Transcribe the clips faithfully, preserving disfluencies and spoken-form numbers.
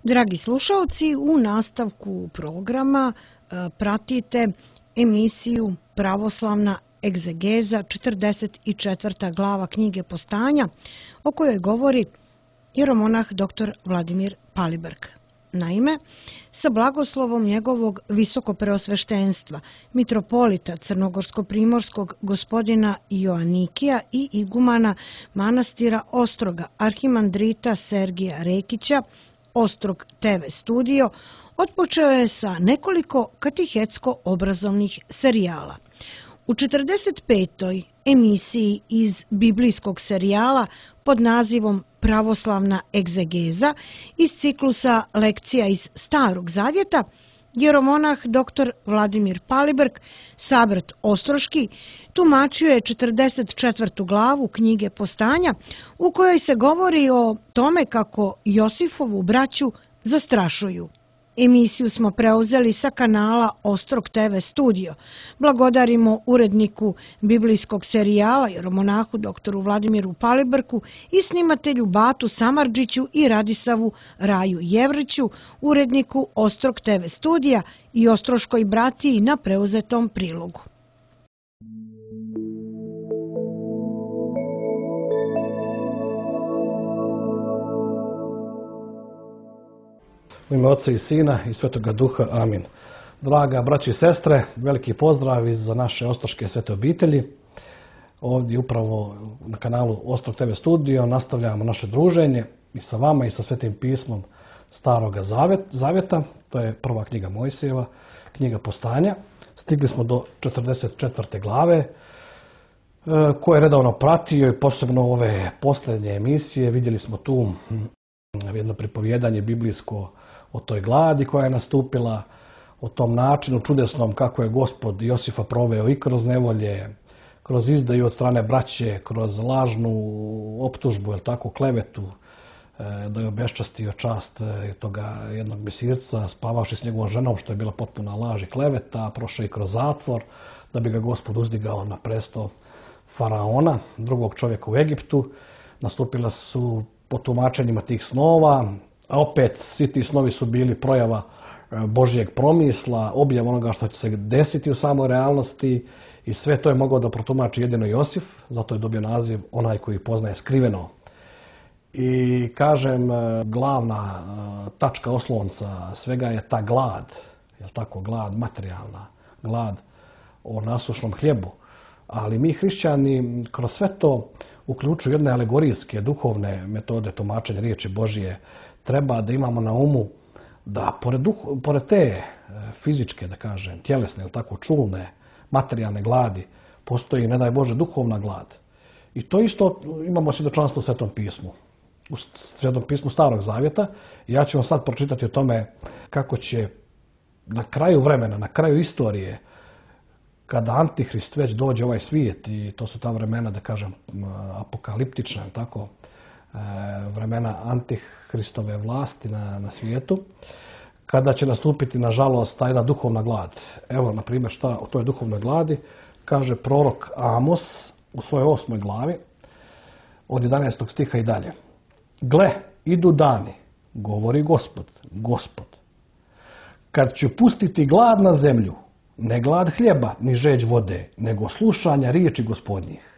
Dragi slušalci, u nastavku programa pratite emisiju Pravoslavna egzegeza, četrdeset četvrta glava knjige Postanja, o kojoj govori jeromonah dr Vladimir Paliberg. Naime, sa blagoslovom njegovog visokopreosveštenstva, mitropolita Crnogorsko-primorskog gospodina Joanikija i igumana manastira Ostroga, arhimandrita Sergija Rekića, Ostrog te ve studio, otpočeo je sa nekoliko katehetsko-obrazovnih serijala. U četrdeset petoj emisiji iz biblijskog serijala pod nazivom Pravoslavna egzegeza iz ciklusa lekcija iz Starog zavjeta, jeromonah dr Vladimir Paliberg, sabrat Ostroški, tumačio je četrdeset četvrtu glavu knjige Postanja, u kojoj se govori o tome kako Josifovu braću zastrašuju. Emisiju smo preuzeli sa kanala Ostrog te ve studio. Blagodarimo uredniku biblijskog serijala jeromonahu doktoru Vladimiru Palibergu i snimatelju Batu Samardžiću i Radisavu Raju Jevriću, uredniku Ostrog te ve studija i Ostroškoj bratiji na preuzetom prilogu. U ime Oca i Sina i Svetoga Duha. Amin. Draga braći i sestre, veliki pozdrav iz naše ostroške svete obitelji. Ovdje upravo na kanalu Ostrog te ve studio nastavljamo naše druženje i sa vama i sa Svetim pismom Staroga zavjeta. To je prva knjiga Mojsijeva, knjiga Postanja. Stigli smo do četrdeset četvrte glave koje je redovno pratio i posebno ove posljednje emisije. Vidjeli smo tu jedno pripovjedanje biblijsko o toj gladi koja je nastupila, o tom načinu čudesnom kako je Gospod Josifa proveo i kroz nevolje, kroz izdaju od strane braće, kroz lažnu optužbu, jel tako, klevetu, da je obeščastio čast toga jednog Misirca, spavavši s njegovom ženom, što je bila potpuna laž i kleveta, prošao i kroz zatvor, da bi ga Gospod uzdigao na presto faraona, drugog čovjeka u Egiptu. Nastupila su po tumačenjima tih snova, a opet svi ti snovi su bili projava Božjeg promisla, objav onoga što će se desiti u samoj realnosti i sve to je mogao da protumači jedino Josif, zato je dobio naziv onaj koji poznaje skriveno. I kažem, glavna tačka oslonca svega je ta glad, je tako, glad materijalna, glad o nasušnom hljebu. Ali mi hrišćani kroz sve to uključuju jedne alegorijske, duhovne metode tumačenja riječi Božje. Treba da imamo na umu da pored, duh, pored te fizičke, da kažem, tjelesne ili tako čulne, materijalne gladi, postoji, ne daj Bože, duhovna glad. I to isto imamo svjedočanstvo u Svetom pismu. U Svetom pismu Starog zavjeta. Ja ću vam sad pročitati o tome kako će na kraju vremena, na kraju istorije, kada Antihrist već dođe u ovaj svijet, i to su ta vremena, da kažem, apokaliptična, tako, vremena Antihristove vlasti na, na svijetu, kada će nastupiti, nažalost, ta jedna duhovna glad. Evo, na primjer, šta o toj duhovnoj gladi kaže prorok Amos u svojoj osmoj glavi, od jedanaestog stiha i dalje. Gle, idu dani, govori Gospod, Gospod, kad ću pustiti glad na zemlju, ne glad hljeba, ni žeđ vode, nego slušanja riječi Gospodnjih.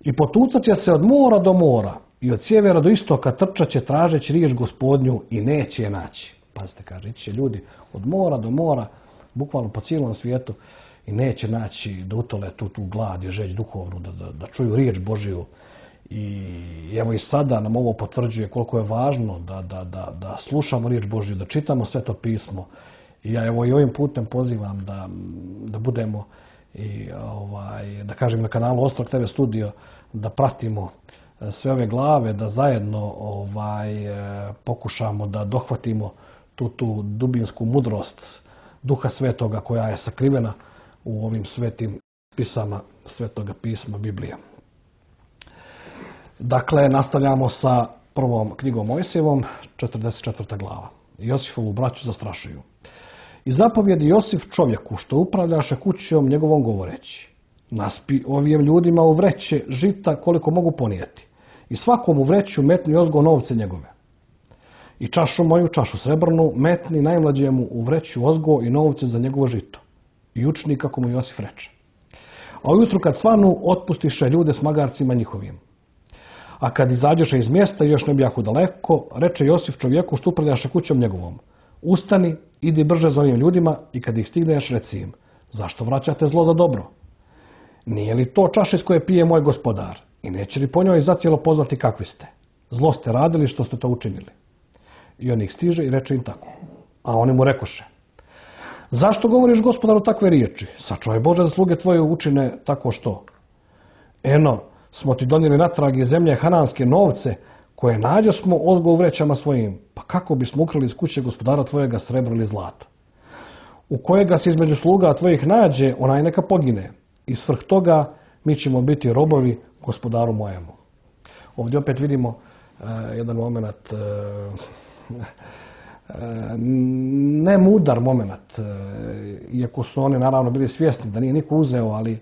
I potucat će se od mora do mora i od sjevera do istoka trčat će tražeći riječ Gospodnju i neće je naći. Pazite, kaže, ići će ljudi od mora do mora, bukvalno po cijelom svijetu, i neće naći da utole tu, tu glad i žeđ duhovnu, da, da, da čuju riječ Božju. I evo i sada nam ovo potvrđuje koliko je važno da, da, da, da slušamo riječ Božju, da čitamo Sveto pismo. I ja evo i ovim putem pozivam da, da budemo i ovaj, da kažem na kanalu Ostrog te ve studio, da pratimo sve ove glave, da zajedno ovaj, pokušamo da dohvatimo tu, tu dubinsku mudrost Duha Svetoga koja je sakrivena u ovim svetim pisama Svetoga pisma Biblije. Dakle, nastavljamo sa prvom knjigom Mojsijevom, četrdeset četvrta glava. Josifovu braću zastrašuju. I zapovjedi Josif čovjeku što upravljaše kućom njegovom govoreći. Naspi ovim ljudima u vreće žita koliko mogu ponijeti. I svakom u vreću metni ozgo novce njegove. I čašu moju, čašu srebrnu, metni najmlađemu u vreću ozgo i novce za njegovo žito. I učini kako mu Josif reče. A ujutru kad svanu, otpustiše ljude s magarcima njihovim. A kad izađeše iz mjesta, još ne bi jako daleko, reče Josif čovjeku što upravljaše kućom njegovom. Ustani, idi brže za ovim ljudima i kad ih stigneš, reci im, zašto vraćate zlo za dobro? Nije li to čaša iz koje pije moj gospodar? I neće li po njoj zacijelo pozvati kakvi ste? Zlo ste radili što ste to učinili. I on ih stiže i reče im tako. A oni mu rekoše, zašto govoriš gospodaru takve riječi? Sačuvaj Bože da sluge tvoje učine tako što. Eno, smo ti donijeli natrag iz zemlje hananske novce koje nađo smo ozgo u vrećama svojim. Pa kako bismo ukrali iz kuće gospodara tvojega srebro ili zlato? U kojega se između sluga tvojih nađe, onaj neka pogine. I svrh toga mi ćemo biti robovi gospodaru mojemu. Ovdje opet vidimo uh, jedan moment, uh, uh, ne mudar moment, uh, iako su oni naravno bili svjesni da nije niko uzeo, ali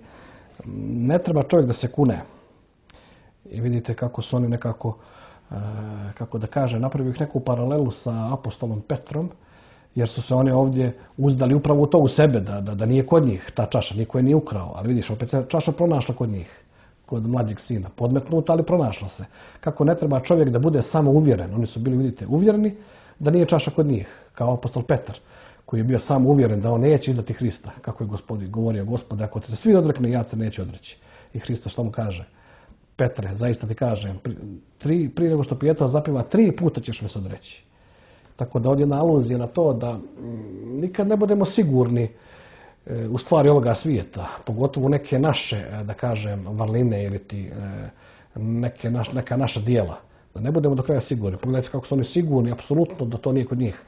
ne treba čovjek da se kune. I vidite kako su oni nekako, uh, kako da kaže, napravio ih neku paralelu sa apostolom Petrom, jer su se oni ovdje uzdali upravo u to u sebe, da, da, da nije kod njih ta čaša, niko je nije ukrao. Ali vidiš, opet se čaša pronašla kod njih, kod mlađeg sina. Podmetnuta, ali pronašla se. Kako ne treba čovjek da bude samo uvjeren. Oni su bili, vidite, uvjereni da nije čaša kod njih, kao apostol Petar, koji je bio samo uvjeren da on neće izdati Hrista. Kako je gospodin govorio, Gospode, ako se svi odrekne, ja se neće odreći. I Hrista što mu kaže? Petre, zaista ti kažem, tri, prije nego što Pijetar zapiva, tri puta ćeš me se odreći. Tako da ovdje je aluzija na to da m, nikad ne budemo sigurni e, u stvari ovoga svijeta, pogotovo neke naše, da kažem, vrline ili ti, e, neke naš, neka naša dijela. Da ne budemo do kraja sigurni. Pogledajte kako su oni sigurni, apsolutno da to nije kod njih.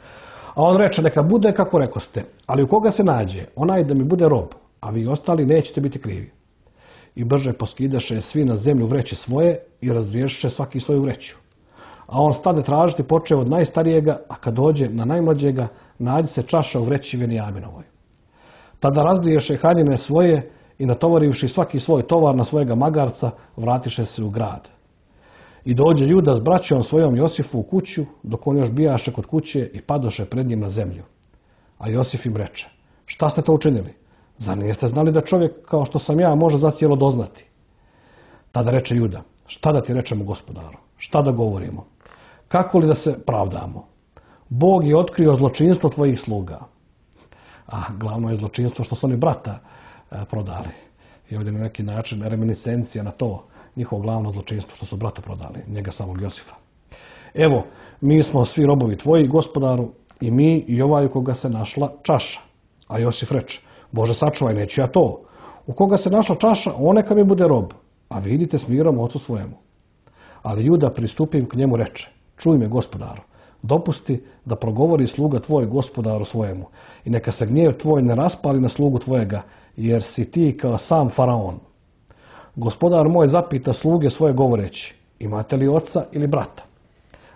A on reče, neka bude kako rekoste, ali u koga se nađe, onaj da mi bude rob, a vi ostali nećete biti krivi. I brže poskidaše svi na zemlju vreće svoje i razriješiše svaki svoju vreću. A on stade tražiti počeo od najstarijega, a kad dođe na najmlađega, nađe se čaša u vreći Venijaminovoj. Tada razliješe haljine svoje i natovarivši svaki svoj tovar na svojega magarca, vratiše se u grad. I dođe Juda s braćom svojom Josifu u kuću, dok on još bijaše kod kuće i padoše pred njim na zemlju. A Josif im reče, šta ste to učinili? Zar niste znali da čovjek kao što sam ja može zacijelo doznati? Tada reče Juda, šta da ti rečemo gospodaru? Šta da govorimo? Kako li da se pravdamo? Bog je otkrio zločinstvo tvojih sluga. A glavno je zločinstvo što su oni brata e, prodali. I ovdje na neki način reminiscencija na to, njihovo glavno zločinstvo što su brata prodali, njega samog Josifa. Evo, mi smo svi robovi tvoji, gospodaru, i mi i ovaj u koga se našla čaša. A Josif reče, Bože sačuvaj, neću ja to. U koga se našla čaša, on neka mi bude rob, a vidite s mirom ocu svojemu. Ali Juda pristupim k njemu reče, čuj me gospodaru, dopusti da progovori sluga tvoj gospodaru svojemu i neka se gnjev tvoj ne raspali na slugu tvojega, jer si ti kao sam faraon. Gospodar moj zapita sluge svoje govoreći, imate li oca ili brata?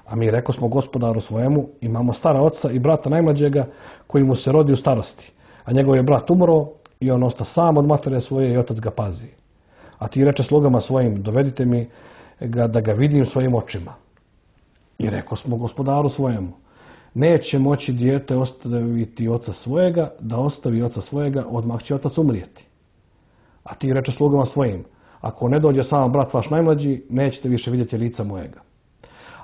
A mi reko smo gospodaru svojemu, imamo stara oca i brata najmlađega koji mu se rodi u starosti, a njegov je brat umro i on osta sam od matere svoje i otac ga pazi. A ti reče slugama svojim, dovedite mi ga da ga vidim svojim očima. I reko smo gospodaru svojemu, neće moći dijete ostaviti oca svojega, da ostavi oca svojega, odmah će otac umrijeti. A ti reče slugama svojim, ako ne dođe sam brat vaš najmlađi, nećete više vidjeti lica mojega.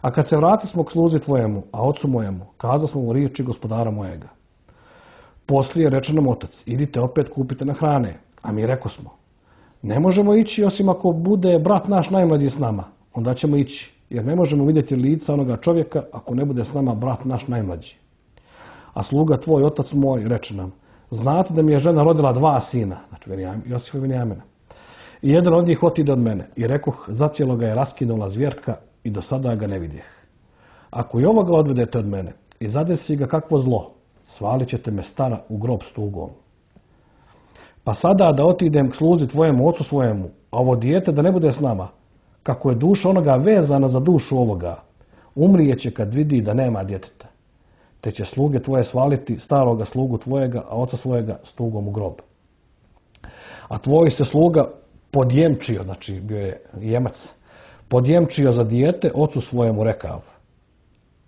A kad se vrati smo k sluzi tvojemu, a ocu mojemu, kazao smo mu riječi gospodara mojega. Poslije reče nam otac, idite opet kupite na hrane, a mi reko smo, ne možemo ići osim ako bude brat naš najmlađi s nama, onda ćemo ići, jer ne možemo vidjeti lica onoga čovjeka ako ne bude s nama brat naš najmlađi. A sluga tvoj, otac moj, reče nam, znate da mi je žena rodila dva sina, znači Josifa i Venijamina. I jedan od njih otide od mene i rekoh, zacijelo ga je raskinula zvjerka i do sada ga ne vidjeh. Ako i ovoga odvedete od mene i zadesi ga kakvo zlo, svalit ćete me stara u grob s tugom. Pa sada da otidem k sluzi tvojemu ocu svojemu, a ovo dijete da ne bude s nama, kako je duša onoga vezana za dušu ovoga, umrijeće kad vidi da nema djeteta. Te će sluge tvoje svaliti staroga slugu tvojega, a oca svojega s tugom u grob. A tvoj se sluga podjemčio, znači bio je jemac, podjemčio za dijete, ocu svojemu rekav.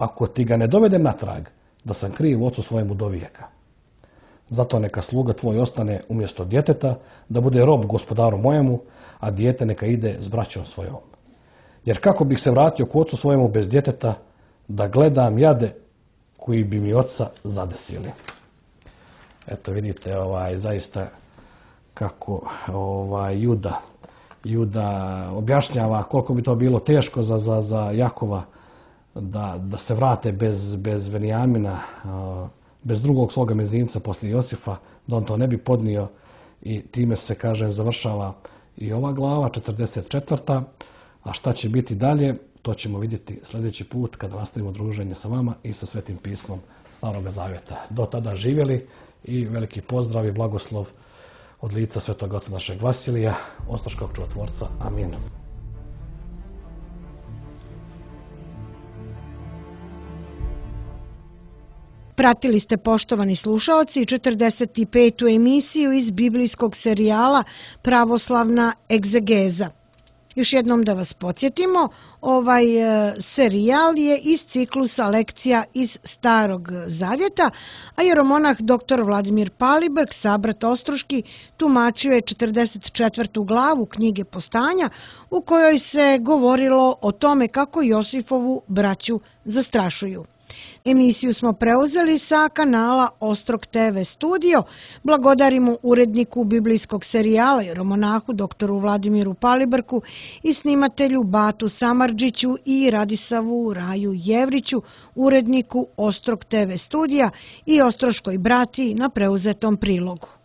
ako ti ga ne dovedem natrag, da sam kriv ocu svojemu do vijeka. Zato neka sluga tvoj ostane umjesto djeteta, da bude rob gospodaru mojemu, a dijete neka ide s braćom svojom. Jer kako bih se vratio k ocu svojemu bez djeteta, da gledam jade koji bi mi oca zadesili. Eto vidite, ovaj, zaista kako ovaj, Juda, Juda objašnjava koliko bi to bilo teško za, za, za Jakova da, da se vrate bez, bez Benjamina, bez drugog svoga mezinca poslije Josifa, da on to ne bi podnio, i time se, kaže, završava i ova glava, četrdeset četvrta. A šta će biti dalje, to ćemo vidjeti sljedeći put kada nastavimo druženje sa vama i sa Svetim pismom Staroga Zavjeta. Do tada živjeli i veliki pozdrav i blagoslov od lica Svetog Oca našeg Vasilija, Ostroškog čudotvorca. Amin. Pratili ste, poštovani slušaoci, četrdeset petu emisiju iz biblijskog serijala Pravoslavna egzegeza. Još jednom da vas podsjetimo, ovaj e, serijal je iz ciklusa lekcija iz Starog Zavjeta, a jeromonah doktor Vladimir Palibrk, sabrat Ostroški, tumačio je četrdeset četvrtu glavu knjige Postanja, u kojoj se govorilo o tome kako Josifovu braću zastrašuju. Emisiju smo preuzeli sa kanala Ostrog te ve Studio. Blagodarimo uredniku biblijskog serijala jeromonahu doktoru Vladimiru Palibrku i snimatelju Batu Samardžiću i Radisavu Raju Jevriću, uredniku Ostrog te ve Studija i Ostroškoj bratiji na preuzetom prilogu.